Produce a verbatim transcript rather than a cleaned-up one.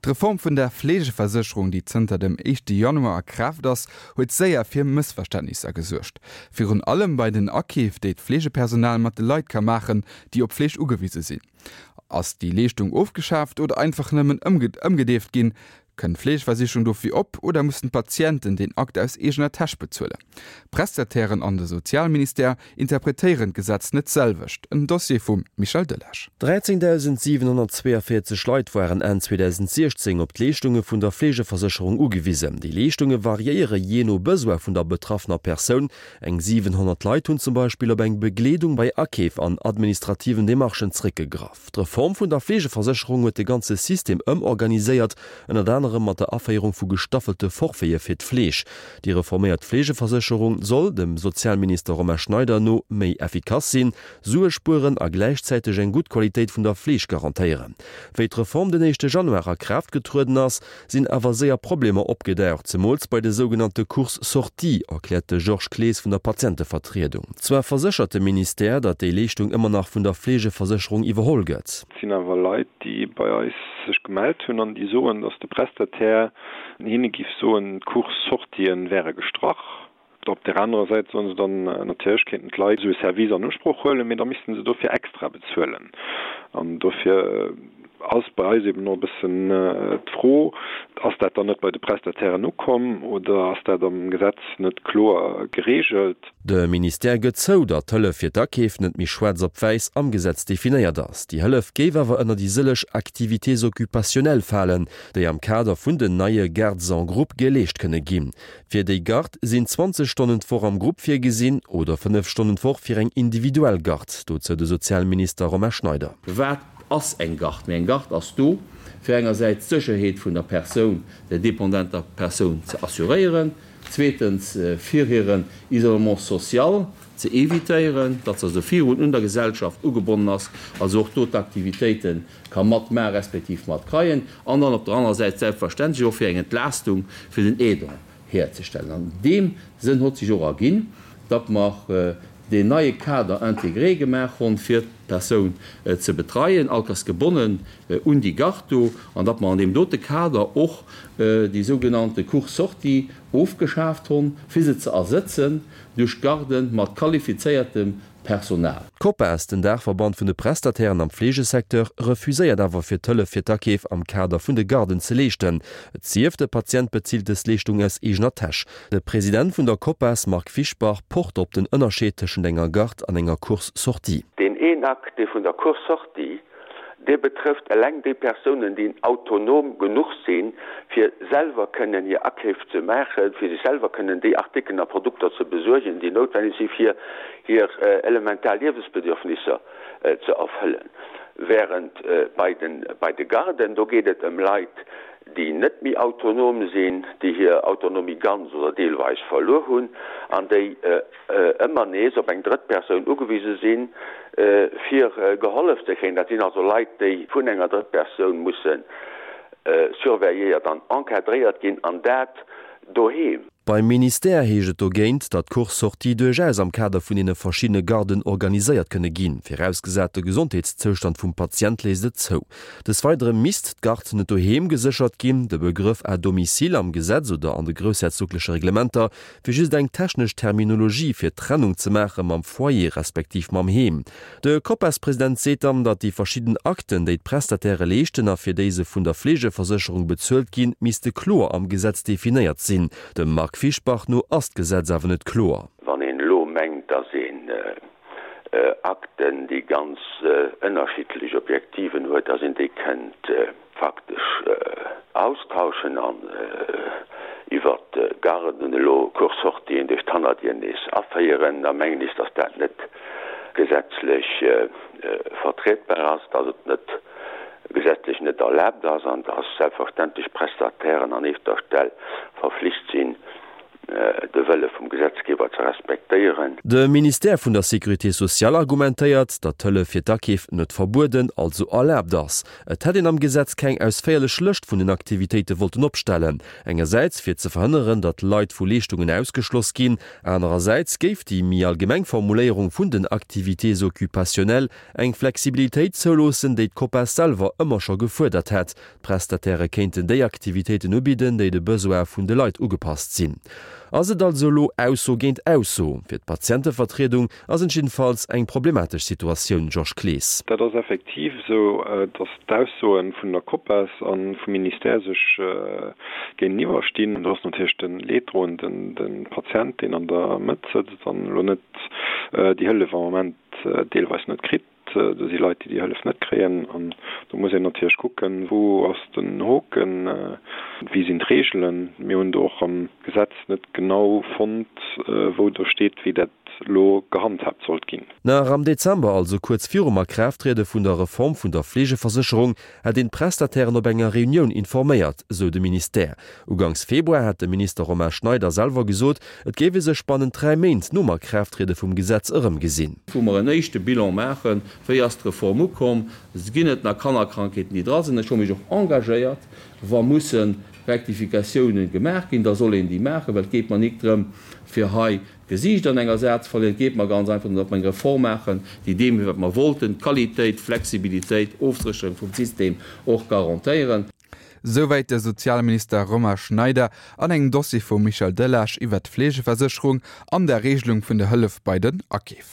D'Reform vun der Fleegeversécherung, déi zënter dem éischte Januar a Kraaft ass, huet séier fir Mëssverständnisser gesuergt. Virun allem bei den Akeef, déi d'Fleegepersonal mat de Leit ka maachen, déi op Fleeg ugewise sinn. Ass déi Leeschtung ofgeschaaft oder einfach nëmmen ëmgedeeft ginn? Kënnt d'Fleegeversicherung dofir op oder mussen d'Patienten den Akt aus eegener Täsch bezuelen? D'Prestatairen an de Sozialministère interpretéieren d'Gesetz net d'selwecht. En Dossier vum Michel Delage. dräizéngdausendsiwenhonnertzweeënvéierzeg Leit waren Enn zweedausendsechzéng op d'Leeschtunge vun der Fleegeversécherung ugewisen. Déi Leeschtunge variéiere jee no Besoin vun der betraffener Persoun. Eng siwenhonnert Leit hunn zum Beispill op eng Begleedung bei Akeef an administrativen Demarchen zréckgegraff. D'Reform vun der Fleegeversécherung huet de ganze System ëmorganiséiert, ënnert anerem mat der Aféierung vu gestaffelte Forfaite fir d'Fleeg. Déi reforméiert Fleegeversécherung soll, dem Sozialminister Romain Schneider no, méi effikass sinn, Sue spueren a gläichzäiteg eng gutt Qualitéit vun der Fleeg garantéieren. Wéi d'Reform den éischte Januar a Kraaft getrueden ass, sinn awer séier Problemer opgedaucht, zemools bei de sougenannte Courses-sorties, erkläert de Georges Clees vun der Patientevertriedung. Zwar verséchert de Ministère, datt déi Leeschtung ëmmer nach vun der Fleegeversécherung iwwerholl gëtt. Et sinn awer Leit, déi bei eis sech gemellt hunn an déi soen, datt de Prestataire hinne giff soen, d'Courses-sortien wäre gestrach. Op där anerer Säit soen se dann, natierlech kéinten d'Leit esou e Service an Usproch huelen, mee da misste se dofir extra bezuelen. An dofir ass bei eis eben och e bëssen d'Fro, Ass dat dann net bei de Prestatairen ukomm oder ass dat am Gesetz net kloer gereegelt? De Ministère gëtt zou, datt d'Hëllef fir d'Akeef net méi schwaarz op wäiss am Gesetz definéiert ass. Déi Hëllef géif awer ënner déi sëlleg Activités occupationnelles falen, déi am Kader vun den neie Gardes en groupe geleescht kënne ginn. Fir déi Garde sinn zwanzeg Stonnen d'Woch am Grupp virgesinn oder fënnef Stonnen d'Woch fir eng individuell Garde, dozou de Sozialminister Romain Schneider. Wat ass eng Garde? Mee eng Garde ass do, fir engersäits d'Sécherheet vun der Persoun, der dependenter Persoun ze assuréieren, zweetens fir hiren Isolement social ze évitéieren, datt se also virun un der Gesellschaft ugebonnen ass, also och do d'Aktivitéite ka matmaachen, respektiv matkreien, an dann op der anerer Säit selbstverständlech och fir eng Entlaastung fir den Aidant hierzestellen. An deem Sënn hott sech och erginn, datt mer deen neie Cadre intégré gemaach honn, fir d'Persoun ze betreien, altersgebonnen un déi Garde do, an datt mer an deem dote Kader och déi sougenannte Cours-sortie ofgeschaaft honn, fir se ze ersëtzen duerch Garde mat qualifizéiertem Personal. D'Copas, den Daachverband vun de Prestatairen am Fleegesecteur, refuséiert awer fir d'Hëllef fir d'Akeef am Kader vun de Garden ze leeschten. Et sief, de Patient bezilt dës Leeschtung aus eegener Täsch. De President vun der Copas, Marc Fischbach, pocht op den Ënnerscheed tëschent enger Garde an enger Course-sortie. Deen een Akt, dee vun der Course-sortie, dee betrëfft eleng déi Persounen, déi autonom genuch sinn, fir selwer kënnen hir Akeef ze maachen, fir sech selwer kënnen déi Artikelen a Produkter ze besuergen, déi noutwenneg si fir hir elementar Liewensbedürfnisser ze erfëllen. Während bei den, bei de Garden, do geet et ëm Leit, déi net méi autonom sinn, déi hir Autonomie ganz oder deelweis verluer hunn an déi ëmmer nees op eng drëtt Persoun ugewise sinn, fir gehollef ze kréien. Dat sinn also Leit, déi vun enger drëtt Persoun musse surveilléiert an encadréiert ginn, an dat doheem. Beim Ministère heescht et dogéint, datt d'Course-sortie duerchaus am Kader vun deene verschiddene Garden organiséiert kënne ginn, virausgesat de Gesondheetszoustand vum Patient léisst et zou. Des Weidere misst d'Garde net doheem geséchert ginn. De Begrëff à domicile am Gesetz oder an de groussherzogleche Reglementer wier just eng technesch Terminologie fir d'Trennung ze maache mam Foyer respektiv mam Heem. De Copas-President seet dann, datt déi verschidden Akten, déi d'Prestatairë leeschten a fir déi se vun der Fleegeversécherung bezuelt ginn, misste kloer am Gesetz definéiert sinn. Dem Marc Fischbach no ass d'Gesetz awer net kloer. Wann een elo mengt, datt een Akten, déi ganz ënnerschiddlech Objektiven huet, datt een déi kënnt faktesch austauschen an iwwer d'Garden elo Course-sortien duerch d'Hannerdier nees aféieren, da mengen ech, datt dat net gesetzlech vertrietbar ass, datt et net gesetzlech net erlaabt ass an datt selbstverständlech d'Prestatairen an éischter Stell verflicht sinn, de Wëlle vum Gesetzgeber ze respektéieren. De Ministère vun der Sécurité sociale argumentéiert, datt d'Hëllef fir d'Akeef net verbueden, also erlaabt ass. Et hätt een am Gesetz keng ausféierlech Lëscht vun den Aktivitéite wollten opstellen, engersäits fir ze verhënneren, datt Leit vu Leeschtungen ausgeschloss ginn, anerersäits géif déi méi allgemeng Formuléierung vun den Activités occupationnelles eng Flexibilitéit zouloossen, déi d'Copas selwer ëmmer scho gefuerdert hätt. D'Prestatairë kéinten déi Aktivitéiten ubidden, déi de Besoine vun de Leit ugepasst sinn. Ass et also elo Ausso géint Ausso? Fir d'Patientevertriedung ass et jiddefalls eng problematesch Situatioun, Georges Clees. Dat ass effektiv esou, datt d'Aussoe vun der Copas a vum Ministère sech géinteniwwer stinn. Do ass natierlech de Leeddroenden de Patient, deen an der Mëtt sëtzt an elo net déi Hëllef am Moment deelweis net kritt. Do si Leit, déi déi Hëllef net kréien. An do muss een natierlech kucken, wou ass den Hoken, wéi sinn d'Reegelen. Mir hunn do och am Gesetz net genau fonnt, wou do steet, wéi dat elo gehandhaabt sollt ginn. Nach am Dezember, also kuerz virum Akraafttriede vun der Reform vun der Fleegeversécherung, hätt een d'Prestatairen op enger Reunioun informéiert, sou de Ministère. Uganks Februar hat de Minister Romain Schneider selwer gesot, et géif ee sech bannent dräi Méint nom Akraafttriede vum Gesetz erëmgesinn. Wou mer en éischte Bilan maachen, wéi ass d'Reform ukomm, ginn et nach Kannerkrankheeten, déi dra sinn. Ech hu mech och engagéiert, wa musse Rectificatiounen gemaach ginn, da soll een déi maachen, well et geet mer nik drëm, fir hei d'Gesiicht an enger Saach ze verléieren. Et geet mer ganz einfach drëm, datt mer eng Reform maachen, déi deem, wat mer wollten, Qualitéit, Flexibilitéit, Ofsécherung vum System och garantéieren. Souwäit de Sozialminister Romain Schneider an engem Dossier vum Michel Delage iwwer d'Fleegeversécherung an der Regelung vun der Hëllef bei den Akeef.